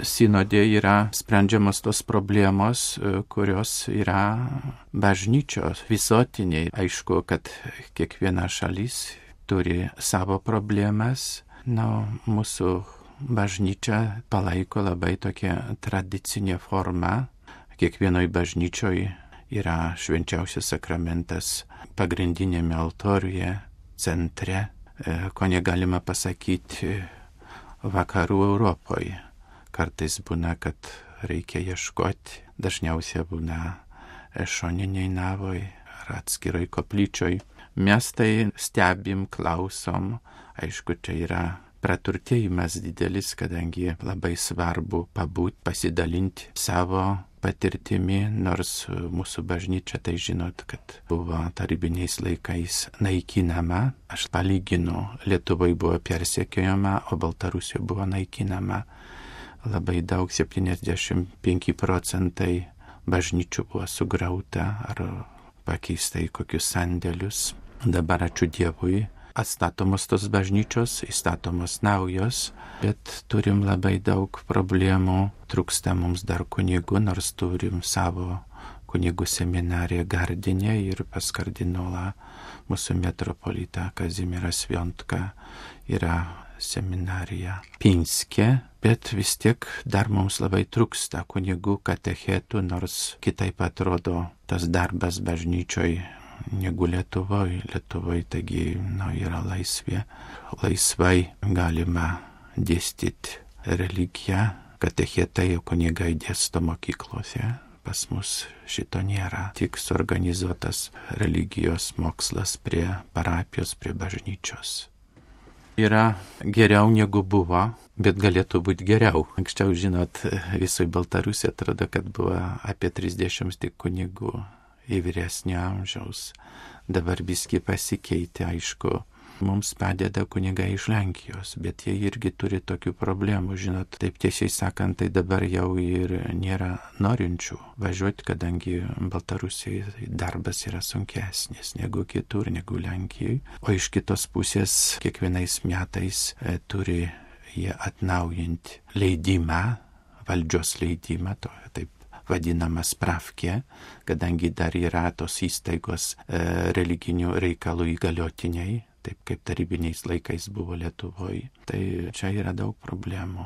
sinode yra sprendžiamos tos problemos, kurios yra bažnyčios visuotiniai. Aišku, kad kiekviena šalis turi savo problemas. Mūsų bažnyčia palaiko labai tokią tradicinę formą. Kiekvienoj bažnyčioj yra švenčiausias sakramentas pagrindinėme altoriuje, centre, ko negalima pasakyti vakarų Europoje. Kartais būna, kad reikia ieškoti, dažniausiai būna šoniniai navoj ar atskiroj koplyčioj. Mes tai stebim, klausom, aišku, čia yra praturtėjimas didelis, kadangi labai svarbu pabūti, pasidalinti savo patirtimi, nors mūsų bažnyčia, tai žinot, kad buvo tarybiniais laikais naikinama. Aš palyginu, Lietuvoje buvo persekiojama, o Baltarusijoje buvo naikinama. Labai daug, 75% bažnyčių buvo sugrauta ar pakeista į kokius sandėlius. Dabar ačiū Dievui, atstatomos tos bažnyčios, įstatomos naujos, bet turim labai daug problemų, trūksta mums dar kunigų, nors turim savo kunigų seminariją Gardine ir pas kardinolą mūsų metropolitą Kazimierą Sviontką yra seminarija Pinske, bet vis tiek dar mums labai trūksta kunigų katechetų, nors kitaip atrodo tas darbas bažnyčioj negu Lietuvoje. Lietuvoje taigi yra laisvė. Laisvai galima dėstyti religiją, katechetai kunigai dėsto mokyklose. Pas mus šito nėra. Tik suorganizuotas religijos mokslas prie parapijos, prie bažnyčios. Yra geriau negu buvo, bet galėtų būti geriau. Anksčiau, žinot, visoje Baltarusijoje atrodo, kad buvo apie 30 tik kunigų į vyresnio amžiaus. Dabar biski pasikeitė, aišku. Mums padeda kunigai iš Lenkijos, bet jie irgi turi tokių problemų, žinot, taip tiesiai sakant, tai dabar jau ir nėra norinčių važiuoti, kadangi Baltarusijoje darbas yra sunkesnis negu kitur, negu Lenkijoje. O iš kitos pusės kiekvienais metais turi jie atnaujinti leidimą, valdžios leidimą, taip vadinamas spravkė, kadangi dar yra tos įstaigos religinių reikalų įgaliotiniai, taip kaip tarybiniais laikais buvo Lietuvoje. Tai čia yra daug problemų.